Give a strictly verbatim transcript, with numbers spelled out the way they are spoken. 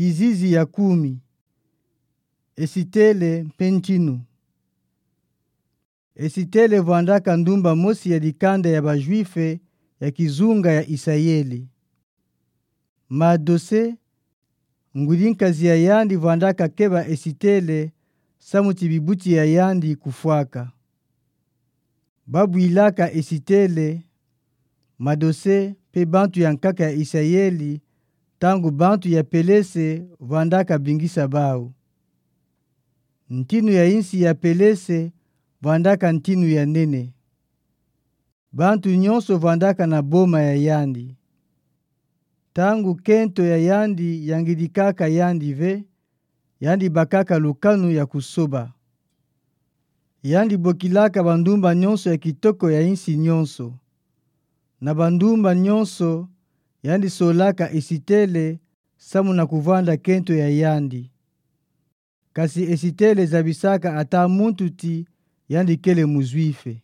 Kizizi ya kumi. Esitele mpe ntinu. Esitele vwandaka ndumba mosi ya dikanda ya Bajuife ya kizunga ya Isayeli. Madose, ngwidi nkazi ya yandi vwandaka keba Esitele, samu ti bibuti ya yandi kufwaka. Babwilaka Esitele, Madose mpe bantu ya nkaka ya Isayeli, ntangu bantu ya Pelese vwandaka bingisa bau. Ntinu ya insi ya Pelese vwandaka ntinu ya nene. Bantu nyonso vwandaka na boma ya yandi. Ntangu kento ya yandi yangidikaka yandi ve, yandi bakaka lukanu ya kusoba. Yandi bokilaka bandumba nyonso ya kitoko ya insi nyonso. Na bandumba nyonso, yandi solaka Esitele, samu na kuvwanda kento ya yandi. Kasi Esitele zabisaka ata muntu ti yandi kele Mujuife.